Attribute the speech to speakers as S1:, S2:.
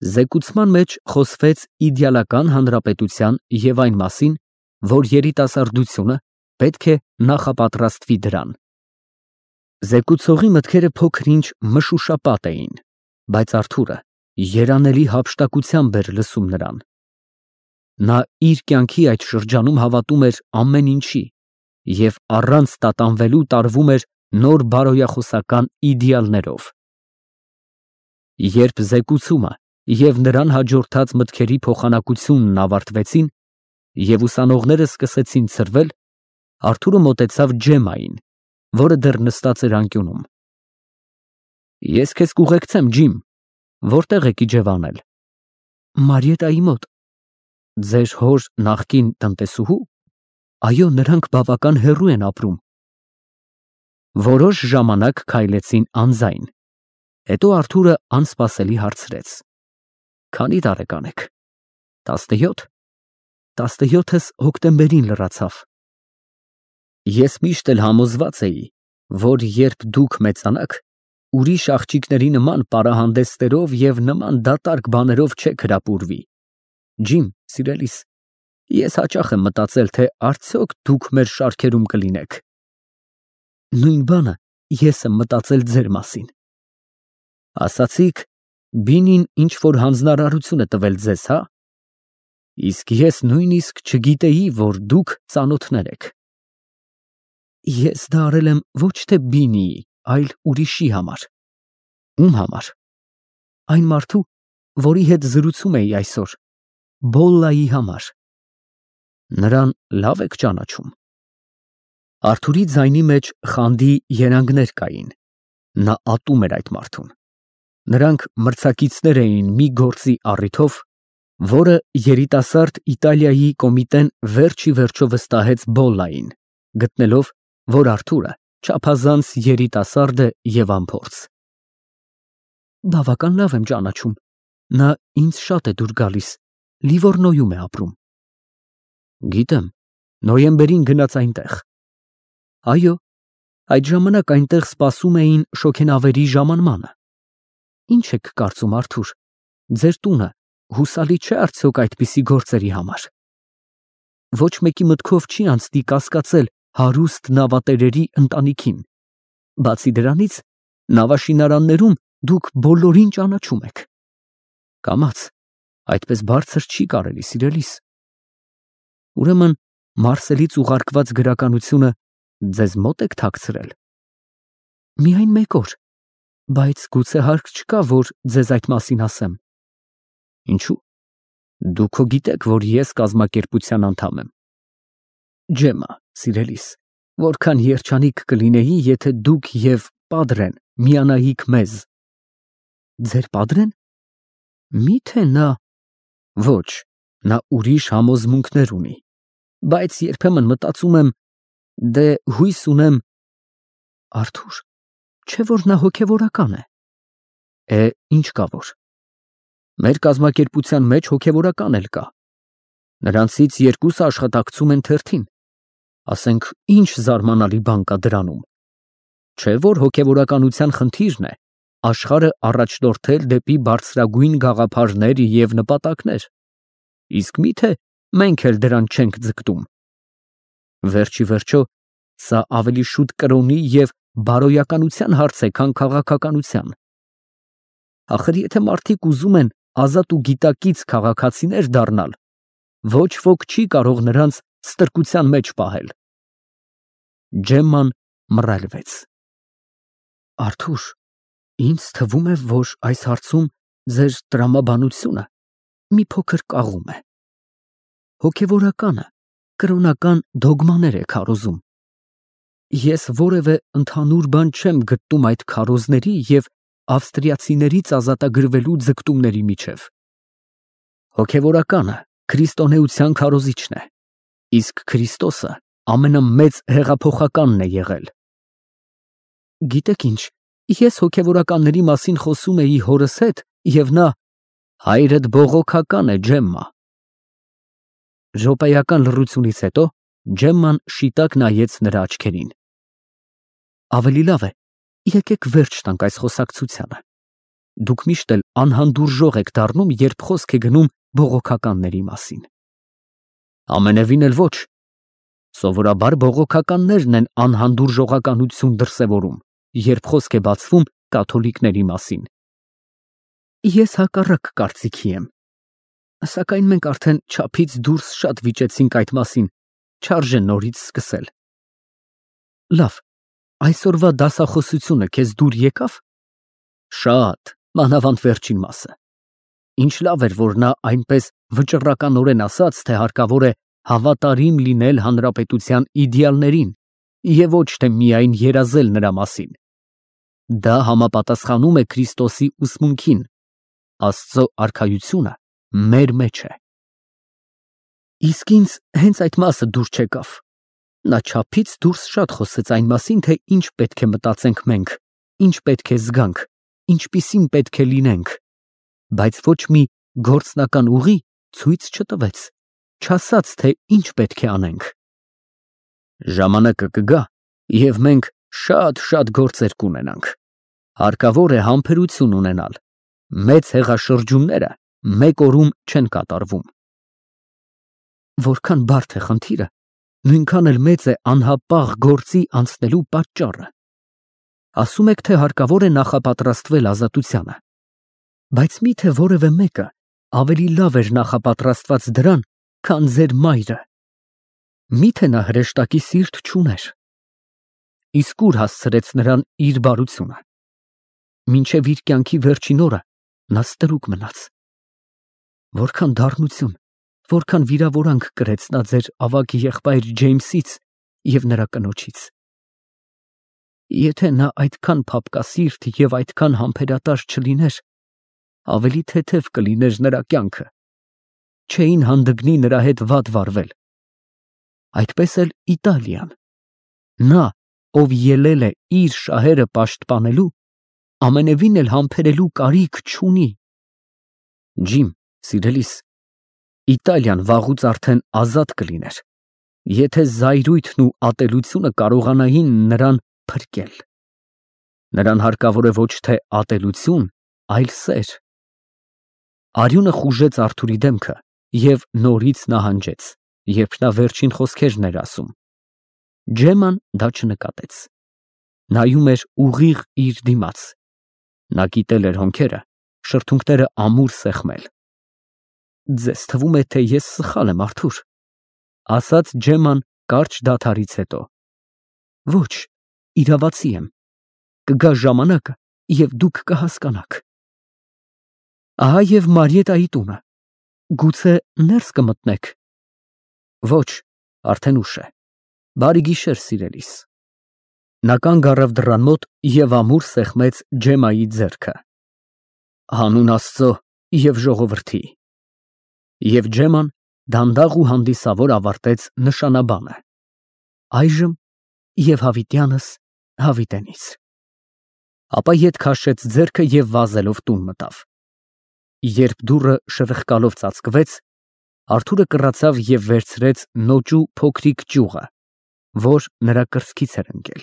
S1: Զեկուցման մեջ խոսվեց իդեալական հանրապետության և այն մասին, որ երիտասարդությունը պետք է նախապատրաստվի դրան։ Զեկուցողի մտքերը փոքր-ինչ մշուշապատ էին, բայց Արթուրը երանելի հափշտակությամբ էր լսում նրան։ Նա իր կյանքի այդ շրջանում հավատում էր ամեն ինչի և առանց տատանվելու տարվում էր նոր բարոյախոսական իդեալներով։ Երբ զեկուցումը և նրան հաջորդած մտքերի փոխանակությունն ավարտվեցին և ուսանողները սկսեցին ցրվել, Արթուրը մոտեցավ Ջեմմային, որը դեռ նստած էր անկյունում։ Ես քեզ կուղեկցեմ, ջիմ, որտե՞ղ եք իջևանել։ Մարիետայի մոտ։ Ձեր հոր նախկին տնտեսուհու։ Այո, նրանք բավական հեռու են ապրում։ Որոշ ժամանակ քայլեցին անձայն, հետո Արթուրը անսպասելի հարցրեց. Քանի տարեկան եք։ 17։ 17-ս հոկտեմբերին լրացավ։ Ես միշտ էլ համոզված էի, որ երբ դուք մեծանաք, ուրիշ աղջիկների նման պարահանդեսներով և նման դատարկ բաներով չեք հրապուրվի։ Ջիմ, սիրելիս, ես հաճախ եմ մտածել, թե արդյոք դուք մեր շարքերում կլինեք։ Նույն բանը ես եմ մտածել ձեր մասին։ Ասացիք, Բինին ինչ-որ հանձնարարություն է տվել ձեզ, հա։ Իսկ ես նույնիսկ չգիտեի, որ դուք ծանոթներ եք։ Ես դա արել եմ ոչ թե Բինիի, այլ ուրիշի համար։ Ում համար։ Այն մարդու, որի հետ զրուցում էի այսօր, Բոլլայի համար։ Նրան լավ եք ճանաչում։ Արթուրի ձայնի մեջ խանդի երանգներ կային։ Նա ատում էր այդ մարդուն։ Նրանք մրցակիցներ էին մի գործի առիթով, որը երիտասարդ Իտալիայի կոմիտեն վերջ ի վերջո վստահեց Բոլլային, գտնելով, որ Արթուրը չափազանց երիտասարդ է և անփորձ։ Բավական լավ եմ ճանաչում։ Նա ինձ շատ է դուր գալիս, Լիվորնոյում է ապրում։ Գիտեմ, նոյեմբերին գնաց այնտեղ։ Այո, այդ ժամանակ այնտեղ սպասում էին շոգենավերի ժամանմանը։ Ինչ եք կարծում, Արթուր, ձեր տունը հուսալի չէ արդյոք այդպիսի գործերի համար։ Ոչ մեկի մտքով չի անցնի կասկածել հարուստ նավատերերի ընտանիքին։ Բացի դրանից, նավաշինարաններում դուք բոլորին ճանաչում եք։ Կամաց, այդպես բարձր չի կարելի, սիրելիս։ Ուրեմն, Մարսելից ուղարկված գրականությունը ձեզ մոտ եք թաքցրել։ Միայն մեկ օր, բայց գուցե հարկ չկա, որ ձեզ այդ մասին ասեմ։ Ինչու՞։ Դուք քո գիտեք, որ ես կազմակերպության անդամ եմ։ Ջեմմա, սիրելիս, որքան երջանիկ կլինեի, եթե դուք և Պադրեն միանայիք մեզ։ Ձեր Պադրեն։ Միթե նա։ Ոչ, նա ուրիշ համոզմունքներ ունի, բայց երբեմն մտածում եմ, դե հույս ունեմ։ Արթուր, չէ՞ որ նա հոգևորական է։ Ինչ կա որ։ Մեր կազմակերպության մեջ հոգևորական էլ կա։ Նրանցից երկուսը աշխատակցում են թերթին։ Ասենք, ինչ զարմանալի բան կա դրանում։ Չէ՞ որ հոգևորականության խնդիրն է աշխարհը առաջնորդել դեպի բարձրագույն գաղափարներ և նպատակներ։ Իսկ միթե մենք էլ դրան չենք ձգտում։ Վերջ ի վերջո, սա ավելի շուտ կրոնի և բարոյականության հարց է, քան քաղաքականության։ Ախր եթե մարդիկ ուզում են ազատ ու գիտակից քաղաքացիներ դառնալ, ոչ ոք չի կարող նրանց ստրկության մեջ պահել։ Ջեմման մռայլվեց։ Արթուր, ինձ թվում է, որ այս հարցում ձեր տրամաբանությունը մի փոքր կաղում է։ Հոգևորականը կրոնական դոգմաներ է քարոզում։ Ես որևէ ընդհանուր բան չեմ գտնում այդ քարոզների և ավստրիացիներից ազատագրվելու ձգտումների միջև։ Հոգևորականը քրիստոնեության քարոզիչն է, իսկ Քրիստոսը ամենամեծ հեղափոխականն է եղել։ Գիտեք ինչ, ես հոգևորականների մասին խոսում էի հորս հետ, և նա հայրդ բողոքական է, Ջեմմա։ Րոպեական լռությունից հետո Ջեմման շիտակ նայեց նրա աչքերին։ Ավելի լավ է, եկեք վերջ տանք այս խոսակցությանը։ Դուք միշտ էլ անհանդուրժող եք դառնում, երբ խոսք է գնում բողոքականների մասին։ Ամենևին էլ ոչ։ Սովորաբար բողոքականներն են անհանդուրժողականություն դրսևորում, երբ խոսք է բացվում կաթոլիկների մասին։ Ես հակառակ կարծիքի եմ, սակայն մենք արդեն չափից դուրս շատ վիճեցինք այդ մասին, չարժե նորից սկսել։ Լավ, այսօրվա դասախոսությունը քեզ դուր եկավ։ Շատ, մանավանդ վերջին մասը։ Ինչ լավ էր, որ նա այնպես վճռականորեն ասաց, թե հարկավոր է հավատարիմ լինել հանրապետության իդեալներին և ոչ թե միայն երազել նրա մասին։ Դա համապատասխանում է Քրիստոսի ուսմունքին. Աստծո արքայությունը մեր մեջ է։ Իսկ ինձ հենց այդ մասը դուր չեկավ։ Նա չափից դուրս շատ խոսեց այն մասին, թե ինչ պետք է մտածենք մենք, ինչ պետք է զգանք, ինչպիսին պետք է լինենք, բայց ոչ մի գործնական ուղի ցույց չտվեց, չասաց, թե ինչ պետք է անենք։ Ժամանակը կգա, և մենք շատ գործեր կունենանք։ Հարկավոր է համբերություն ունենալ։ Մեծ հեղաշրջումները մեկ օրում չեն կատարվում։ Որքան բարդ է խնդիրը, նույնքան էլ մեծ է անհապաղ գործի անցնելու պատճառը։ Ասում եք, թե հարկավոր է նախապատրաստվել ազատությանը, բայց միթե որևէ մեկը ավելի լավ էր նախապատրաստված դրան, քան ձեր մայրը։ Միթե նա հրեշտակի սիրտ չուներ։ Իսկ ուր հասցրեց նրան իր բարությունը։ Մինչև իր կյանքի վերջին օրը նա ստրուկ մնաց։ Որքան դառնություն, որքան վիրավորանք կրեց նա ձեր ավագ եղբայր Ջեյմսից և նրա կնոջից։ Եթե նա այդքան փափկասիրտ և այդքան համբերատար չլիներ, ավելի թեթև կլիներ նրա կյանքը, չէին հանդգնի նրա հետ վատ վարվել։ Այդպես էլ Իտալիան, նա, ով ելել է իր շահերը պաշտպանելու, ամենևին էլ համբերելու կարիք չունի։ Ջիմ, սիրելիս, Իտալիան վաղուց արդեն ազատ կլիներ, եթե զայրույթն ու ատելությունը կարողանային նրան փրկել։ Նրան հարկավոր է ոչ թե ատելություն, այլ սեր։ Արյունը խուժեց Արթուրի դեմքը և նորից նահանջեց, երբ նա վերջին խոսքերն էր ասում։ Ջեման դա չնկատեց։ Նայում էր ուղիղ իր դիմաց։ Նա կիտել էր հոնքերը, շրթունքները ամուր սեղմել։ Ձեզ թվում է, թե ես սխալ եմ, Արթուր, ասաց Ջեման կարճ դադարից հետո։ Ոչ, իրավացի եմ։ Կգա ժամանակը, և դուք կհասկանաք։ Ահա և Մարիետայի տունը։ Գուցե ներս կմտնեք։ Ոչ, արդեն ուշ է։ Բարի գիշեր, սիրելիս։ Նա կանգ առավ դռան մոտ և ամուր սեղմեց Ջեմայի ձեռքը։ Հանուն Աստծո և ժողովրդի։ Եվ Ջեման դանդաղ ու հանդիսավոր ավարտեց նշանաբանը։ Այժմ և հավիտյանս հավիտենից։ Ապա ետ քաշեց ձեռքը և վազելով տուն մտավ։ Երբ դուռը շրխկալով ծածկվեց, Արթուրը կռացավ և վերցրեց նոճու փոքրիկ ճյուղը, որ նրա կրծքից էր ընկել։